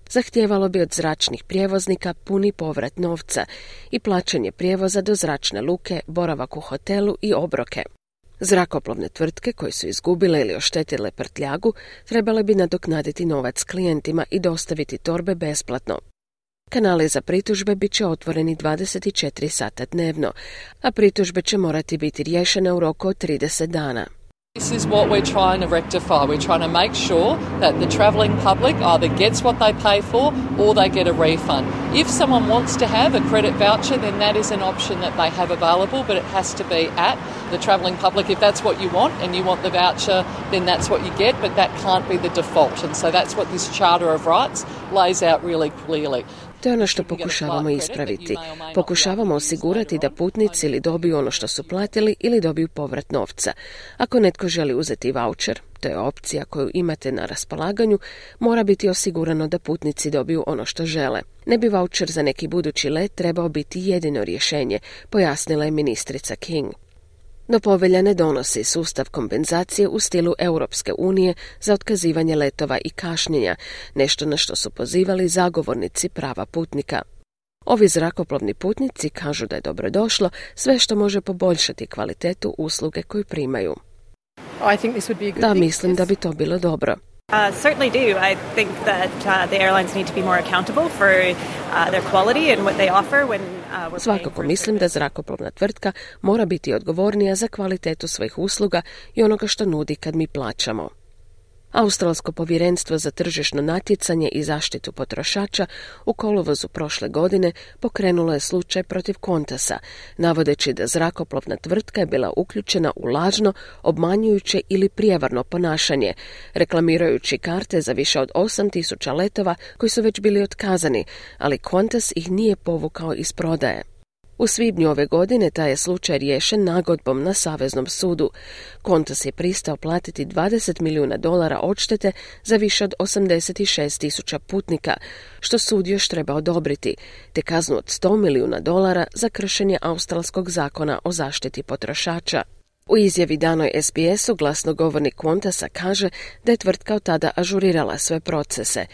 [SPEAKER 13] zahtijevalo bi od zračnih prijevoznika puni povrat novca i plaćanje prijevoza do zračne luke, boravak u hotelu i obroke. Zrakoplovne tvrtke koje su izgubile ili oštetile prtljagu trebale bi nadoknaditi novac klijentima i dostaviti torbe besplatno. Kanali za pritužbe bit će otvoreni 24 sata dnevno, a pritužbe će morati biti riješene u roku od 30 dana.
[SPEAKER 14] This is what we're trying to rectify. We're trying to make sure that the travelling public either gets what they pay for or they get a refund. If someone wants to have a credit voucher, then that is an option that they have available, but it has to be at the travelling public. If that's what you want and you want the voucher, then that's what you get, but that can't be the default. And so that's what this Charter of Rights lays out really clearly.
[SPEAKER 13] To je ono što pokušavamo ispraviti. Pokušavamo osigurati da putnici ili dobiju ono što su platili ili dobiju povrat novca. Ako netko želi uzeti vaučer, to je opcija koju imate na raspolaganju, mora biti osigurano da putnici dobiju ono što žele. Ne bi vaučer za neki budući let trebao biti jedino rješenje, pojasnila je ministrica King. No povelja ne donosi sustav kompenzacije u stilu Europske unije za otkazivanje letova i kašnjenja, nešto na što su pozivali zagovornici prava putnika. Ovi zrakoplovni putnici kažu da je dobrodošlo sve što može poboljšati kvalitetu usluge koju primaju. Da, mislim da bi to bilo dobro.
[SPEAKER 15] Certainly do. I think that the airlines need to be more accountable for their quality and what they offer when we're
[SPEAKER 13] Svakako mislim da zrakoplovna tvrtka mora biti odgovornija za kvalitetu svojih usluga i onoga što nudi kad mi plaćamo. Australsko povjerenstvo za tržišno natjecanje i zaštitu potrošača u kolovozu prošle godine pokrenulo je slučaj protiv Qantasa, navodeći da zrakoplovna tvrtka je bila uključena u lažno, obmanjujuće ili prijevarno ponašanje, reklamirajući karte za više od 8.000 letova koji su već bili otkazani, ali Qantas ih nije povukao iz prodaje. U svibnju ove godine taj je slučaj riješen nagodbom na Saveznom sudu. Qantas je pristao platiti $20 milijuna odštete za više od 86.000 putnika, što sud još treba odobriti, te kaznu od $100 milijuna za kršenje australskog zakona o zaštiti potrošača. U izjavi danoj SBS-u glasnogovornik Qantasa kaže da je tvrtka od tada ažurirala sve procese.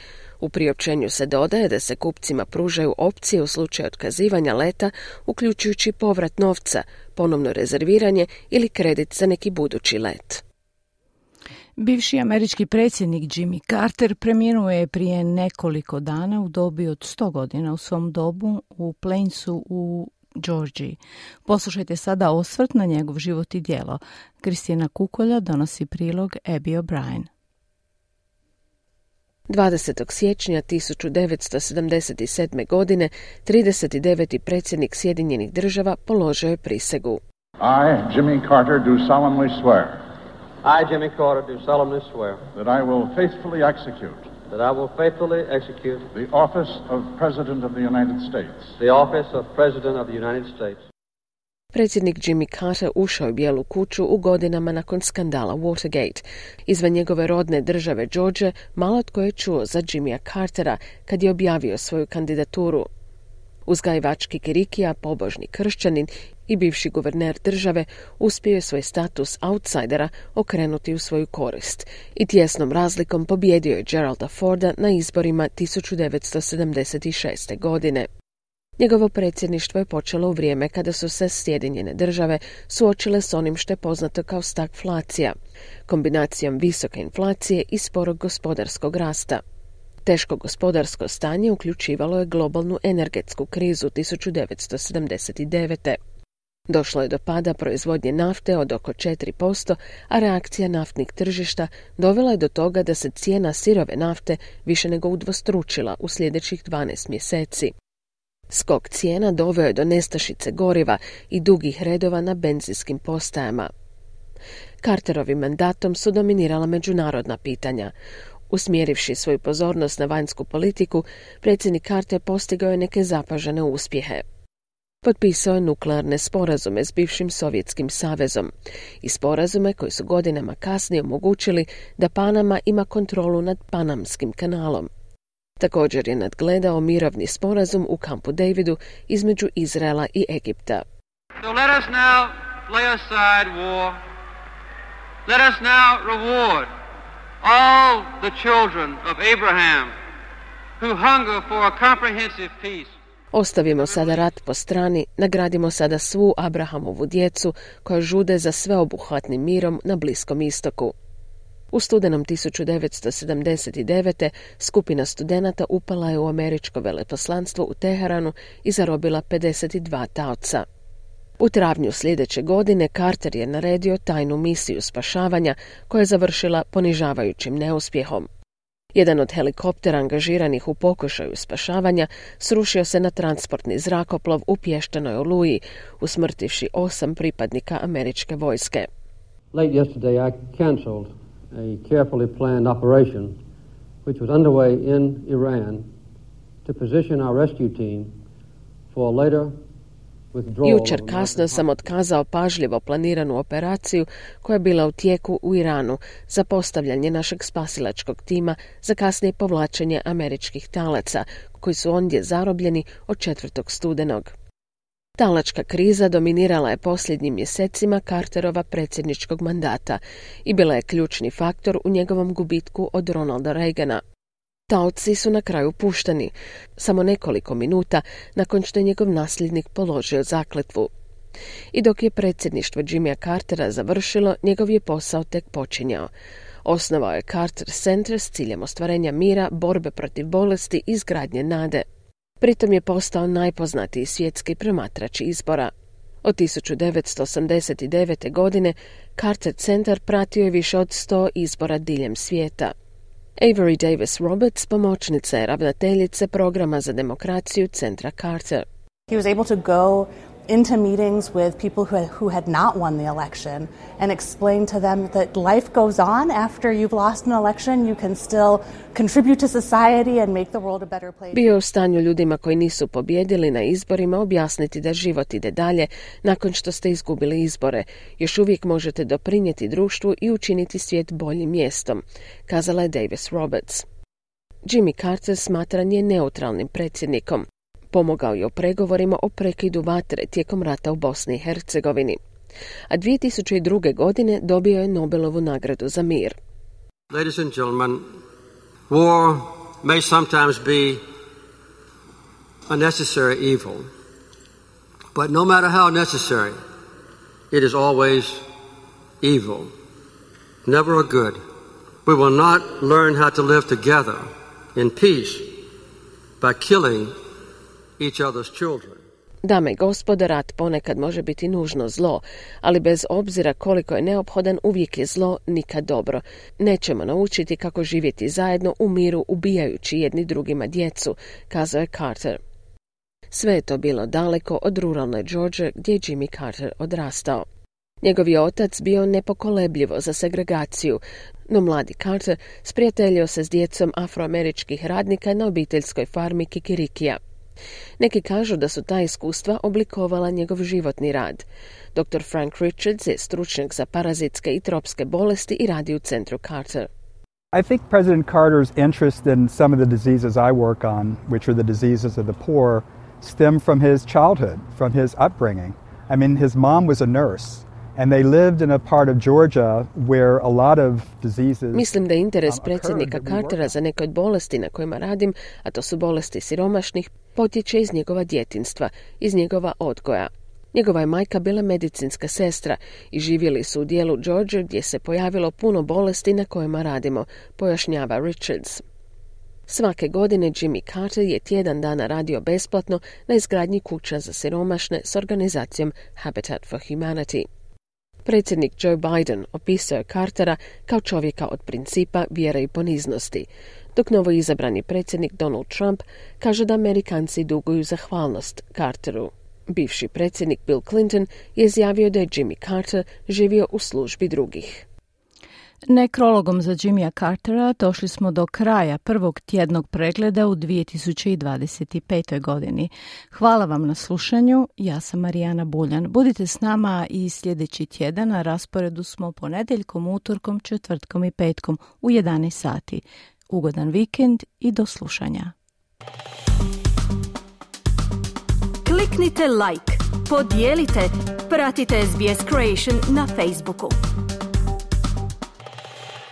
[SPEAKER 13] U priopćenju se dodaje da se kupcima pružaju opcije u slučaju otkazivanja leta, uključujući povrat novca, ponovno rezerviranje ili kredit za neki budući let.
[SPEAKER 3] Bivši američki predsjednik Jimmy Carter preminuo je prije nekoliko dana u dobi od 100 godina u svom domu u Plainsu u Georgiji. Poslušajte sada osvrt na njegov život i djelo. Kristina Kukolja donosi prilog Abby O'Brien.
[SPEAKER 13] 20. siječnja 1977. godine 39. predsjednik Sjedinjenih država položio je prisegu.
[SPEAKER 16] I, Jimmy Carter, do solemnly swear.
[SPEAKER 17] I, Jimmy Carter, do solemnly swear.
[SPEAKER 16] That I will faithfully execute.
[SPEAKER 17] That I will faithfully execute.
[SPEAKER 16] The office of President of the United States.
[SPEAKER 17] The office of President of the United States.
[SPEAKER 13] Predsjednik Jimmy Carter ušao je u Bijelu kuću u godinama nakon skandala Watergate. Izvan njegove rodne države Georgia malo tko je čuo za Jimmya Cartera kad je objavio svoju kandidaturu. Uzgajivač kikirikija, pobožni kršćanin i bivši guverner države uspio je svoj status outsidera okrenuti u svoju korist i tjesnom razlikom pobijedio je Geralda Forda na izborima 1976. godine. Njegovo predsjedništvo je počelo u vrijeme kada su se Sjedinjene države suočile s onim što je poznato kao stagflacija, kombinacijom visoke inflacije i sporog gospodarskog rasta. Teško gospodarsko stanje uključivalo je globalnu energetsku krizu 1979. Došlo je do pada proizvodnje nafte od oko 4%, a reakcija naftnih tržišta dovela je do toga da se cijena sirove nafte više nego udvostručila u sljedećih 12 mjeseci. Skok cijena doveo je do nestašice goriva i dugih redova na benzinskim postajama. Carterovim mandatom su dominirala međunarodna pitanja. Usmjerivši svoju pozornost na vanjsku politiku, predsjednik Carter postigao je neke zapažene uspjehe. Potpisao je nuklearne sporazume s bivšim Sovjetskim savezom i sporazume koji su godinama kasnije omogućili da Panama ima kontrolu nad Panamskim kanalom. Također je nadgledao mirovni sporazum u Kampu Davidu između Izraela i Egipta.
[SPEAKER 17] So let us now lay aside war. Let us now reward all the children of Abraham who hunger for a comprehensive peace.
[SPEAKER 13] Ostavimo sada rat po strani, nagradimo sada svu Abrahamovu djecu koja žude za sveobuhvatnim mirom na Bliskom istoku. U studenom 1979. skupina studenata upala je u američko veleposlanstvo u Teheranu i zarobila 52 taoca. U travnju sljedeće godine Carter je naredio tajnu misiju spašavanja koja je završila ponižavajućim neuspjehom. Jedan od helikoptera angažiranih u pokušaju spašavanja srušio se na transportni zrakoplov u Pješčanoj Oluji, usmrtivši 8 pripadnika američke vojske.
[SPEAKER 18] Late yesterday I cancelled a carefully planned operation which was underway in Iran to position our rescue team for later withdrawal.
[SPEAKER 13] Jučer kasno sam otkazao pažljivo planiranu operaciju koja je bila u tijeku u Iranu za postavljanje našeg spasilačkog tima za kasnije povlačenje američkih talaca koji su ondje zarobljeni od 4. studenog. Talačka kriza dominirala je posljednjim mjesecima Carterova predsjedničkog mandata i bila je ključni faktor u njegovom gubitku od Ronalda Reagana. Taoci su na kraju pušteni, samo nekoliko minuta nakon što je njegov nasljednik položio zakletvu. I dok je predsjedništvo Jimmya Cartera završilo, njegov je posao tek počinjao. Osnovao je Carter Center s ciljem ostvarenja mira, borbe protiv bolesti i izgradnje nade. Pritom je postao najpoznatiji svjetski promatrač izbora. Od 1989. godine Carter Centar pratio je više od 100 izbora diljem svijeta. Avery Davis Roberts pomoćnica je ravnateljice programa za demokraciju Centra Carter.
[SPEAKER 1] He was able to go into meetings with people who had not won the election and explain to them that life goes on after you've lost an election. You can still contribute to society and make the world a better place.
[SPEAKER 13] Bio je u stanju ljudima koji nisu pobjedili na izborima objasniti da život ide dalje nakon što ste izgubili izbore. Još uvijek možete doprinijeti društvu i učiniti svijet boljim mjestom, kazala je Davis Roberts. Jimmy Carter smatran je neutralnim predsjednikom. Pomogao je u pregovorima o prekidu vatre tijekom rata u Bosni i Hercegovini. A 2002. godine dobio je Nobelovu nagradu za mir.
[SPEAKER 2] Ladies and gentlemen, war may sometimes be a necessary evil, but no matter how necessary, it is always evil, never a good. We will not learn how to live together in peace by killing each other's children.
[SPEAKER 13] Dame i gospodo, rat ponekad može biti nužno zlo, ali bez obzira koliko je neophodan, uvijek je zlo nikad dobro. Nećemo naučiti kako živjeti zajedno u miru ubijajući jedni drugima djecu, kazao je Carter. Sve je to bilo daleko od ruralne George gdje je Jimmy Carter odrastao. Njegov je otac bio nepokolebljivo za segregaciju, no mladi Carter sprijateljio se s djecom afroameričkih radnika na obiteljskoj farmi Kikirikija. Neki kažu da su ta iskustva oblikovala njegov životni rad. Dr. Frank Richards je stručnjak za parazitske i tropske bolesti i radi u centru Carter.
[SPEAKER 19] I think President Carter's interest in some of the diseases I work on, which are the diseases of the poor, stem from his childhood, from his upbringing. I mean, his mom was a nurse. And they lived in a part of Georgia where a lot of diseases.
[SPEAKER 13] Mislim da je interes predsjednika Cartera za neke od bolesti na kojima radim, a to su bolesti siromašnih, potječe iz njegova djetinjstva, iz njegova odgoja. Njegova je majka bila medicinska sestra i živjeli su u dijelu Georgia gdje se pojavilo puno bolesti na kojima radimo, pojašnjava Richards. Svake godine Jimmy Carter je tjedan dana radio besplatno na izgradnji kuća za siromašne s organizacijom Habitat for Humanity. Predsjednik Joe Biden opisao je Cartera kao čovjeka od principa, vjere i poniznosti, dok novoizabrani predsjednik Donald Trump kaže da Amerikanci duguju zahvalnost Carteru. Bivši predsjednik Bill Clinton je izjavio da je Jimmy Carter živio u službi drugih.
[SPEAKER 3] Nekrologom za Jimmya Cartera došli smo do kraja prvog tjednog pregleda u 2025. godini. Hvala vam na slušanju, ja sam Marijana Buljan. Budite s nama i sljedeći tjedan, na rasporedu smo ponedjeljkom, utorkom, četvrtkom i petkom u 11 sati. Ugodan vikend i do slušanja.
[SPEAKER 24] Kliknite like, podijelite, pratite SBS Creation na Facebooku.